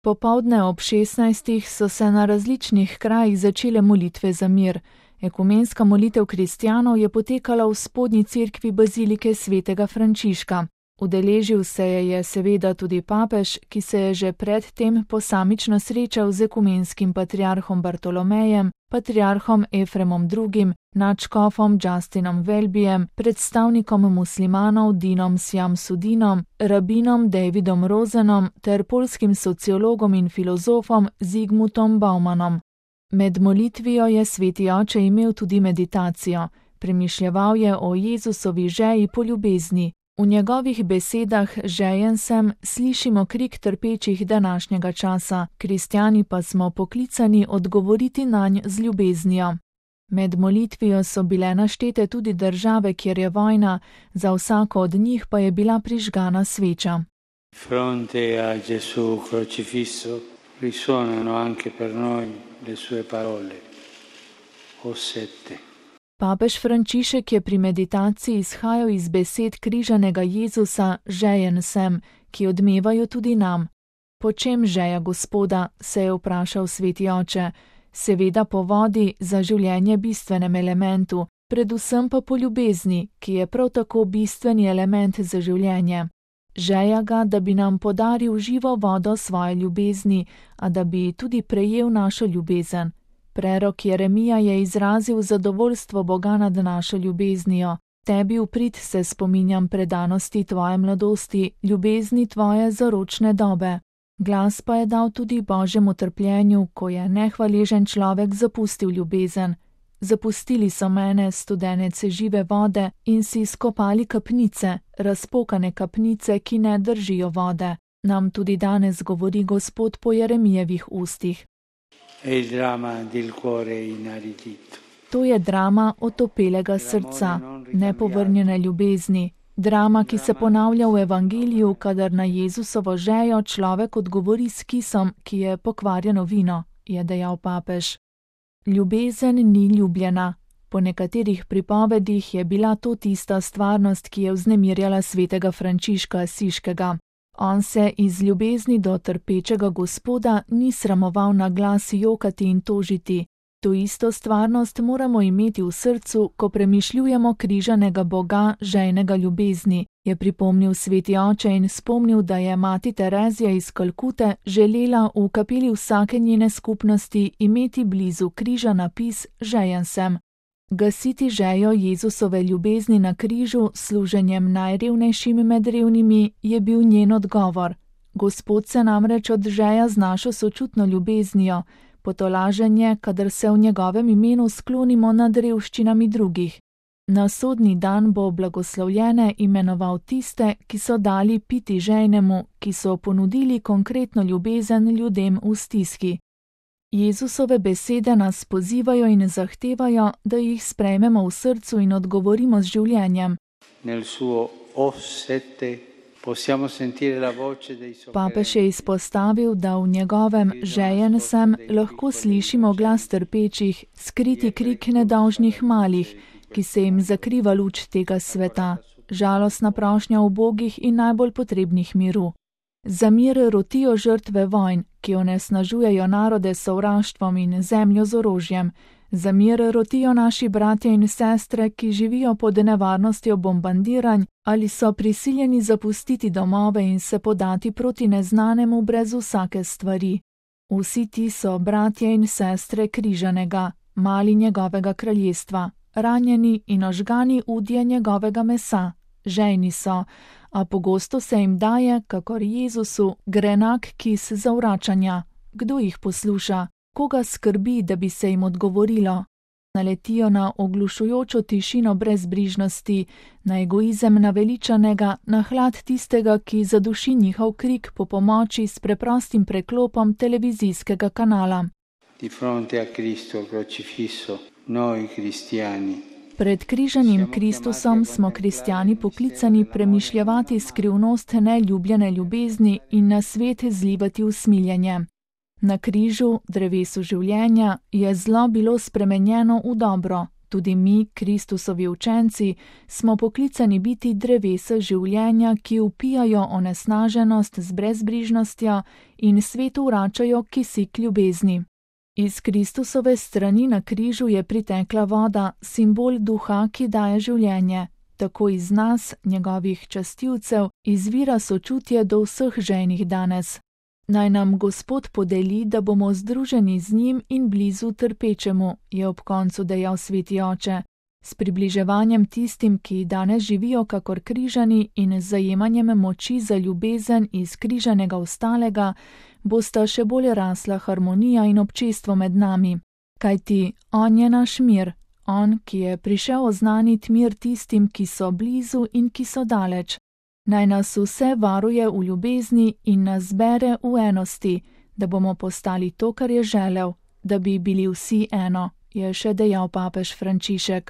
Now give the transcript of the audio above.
Popoldne ob 16. so se na različnih krajih začele molitve za mir. Ekumenska molitev kristjanov je potekala v spodnji cerkvi bazilike svetega Frančiška. Udeležil se je seveda tudi papež, ki se je že predtem posamično srečal z ekumenskim patriarhom Bartolomejem, patriarhom Efremom II., nadškofom Justinom Welbyjem, predstavnikom muslimanov Dinom Sjamsudinom, rabinom Davidom Rozenom ter poljskim sociologom in filozofom Zygmuntom Baumanom. Med molitvijo je sveti oče imel tudi meditacijo. Premišljeval je o Jezusovi žeji po ljubezni. V njegovih besedah žejen sem slišimo krik trpečih današnjega časa, kristjani pa smo poklicani odgovoriti nanj z ljubeznijo. Med molitvijo so bile naštete tudi države, kjer je vojna, za vsako od njih pa je bila prižgana sveča. Fronte a Gesù crocifisso risuonano anche per noi le sue parole. O sette. Papež Frančišek je pri meditaciji izhajal iz besed križanega Jezusa žejen sem, ki odmevajo tudi nam. Po čem žeja Gospoda, se je vprašal sveti oče, seveda po vodi za življenje bistvenem elementu, predvsem pa po ljubezni, ki je prav tako bistveni element za življenje. Žeja ga, da bi nam podaril živo vodo svoje ljubezni, a da bi tudi prejel našo ljubezen. Prerok Jeremija je izrazil zadovoljstvo Boga nad našo ljubeznijo. Tebi v prid se spominjam predanosti tvoje mladosti, ljubezni tvoje zaročne dobe. Glas pa je dal tudi Božjemu trpljenju, ko je nehvaležen človek zapustil ljubezen. Zapustili so mene, studenece žive vode, in si skopali kapnice, razpokane kapnice, ki ne držijo vode. Nam tudi danes govori Gospod po Jeremijevih ustih. To je drama otopelega srca, nepovrnjene ljubezni. Drama, ki se ponavlja v evangeliju, kadar na Jezusovo žejo človek odgovori s kisom, ki je pokvarjeno vino, je dejal papež. Ljubezen ni ljubljena. Po nekaterih pripovedih je bila to tista stvarnost, ki je vznemirjala svetega Frančiška Asiškega. On se iz ljubezni do trpečega Gospoda ni sramoval na glas jokati in tožiti. To isto stvarnost moramo imeti v srcu, ko premišljujemo križanega Boga, žejnega ljubezni, je pripomnil sveti oče in spomnil, da je mati Terezija iz Kalkute želela v kapeli vsake njene skupnosti imeti blizu križa napis žejen sem. Gasiti žejo Jezusove ljubezni na križu s služenjem najrevnejšim med revnimi je bil njen odgovor. Gospod se namreč odžeja z našo sočutno ljubeznijo, potolaženje, kadar se v njegovem imenu sklonimo nad revščinami drugih. Na sodni dan bo blagoslovljene imenoval tiste, ki so dali piti žejnemu, ki so ponudili konkretno ljubezen ljudem v stiski. Jezusove besede nas pozivajo in zahtevajo, da jih sprejmemo v srcu in odgovorimo z življenjem. Papež je izpostavil, da v njegovem žejen sem lahko slišimo glas trpečih, skriti krik nedolžnih malih, ki se jim zakriva luč tega sveta, žalostna prošnja ubogih in najbolj potrebnih miru. Za mir rotijo žrtve vojn, ki onesnažujejo narode s sovraštvom in zemljo z orožjem. Za mir rotijo naši bratje in sestre, ki živijo pod nevarnostjo bombardiranj ali so prisiljeni zapustiti domove in se podati proti neznanemu brez vsake stvari. Vsi ti so bratje in sestre križanega, mali njegovega kraljestva, ranjeni in ožgani udje njegovega mesa. Žejni so, a pogosto se jim daje, kakor Jezusu, grenak kis zavračanja. Kdo jih posluša? Koga skrbi, da bi se jim odgovorilo? Naletijo na oglušujočo tišino brezbrižnosti, na egoizem naveličanega, na hlad tistega, ki zaduši njihov krik po pomoči s preprostim preklopom televizijskega kanala. Di fronte a Cristo crocifisso, noi cristiani. Pred križanim Kristusom smo kristjani poklicani premišljevati skrivnost neljubljene ljubezni in na svet zlivati usmiljenje. Na križu, drevesu življenja, je zlo bilo spremenjeno v dobro, Tudi mi, Kristusovi učenci, smo poklicani biti drevesa življenja, ki vpijajo onesnaženost z brezbrižnostjo in svetu vračajo kisik ljubezni. Iz Kristusove strani na križu je pritekla voda, simbol duha, ki daje življenje. Tako iz nas, njegovih častilcev, izvira sočutje do vseh ženih danes. Naj nam Gospod podeli, da bomo združeni z njim in blizu trpečemu, je ob koncu dejal Sveti Oče. S približevanjem tistim, ki danes živijo kakor križani in z zajemanjem moči za ljubezen iz križanega ostalega, bosta še bolj rasla harmonija in občestvo med nami. Kajti on je naš mir, on, ki je prišel oznaniti mir tistim, ki so blizu in ki so daleč. Naj nas vse varuje v ljubezni in nas zbere v enosti, da bomo postali to, kar je želel, da bi bili vsi eno, je še dejal papež Frančišek.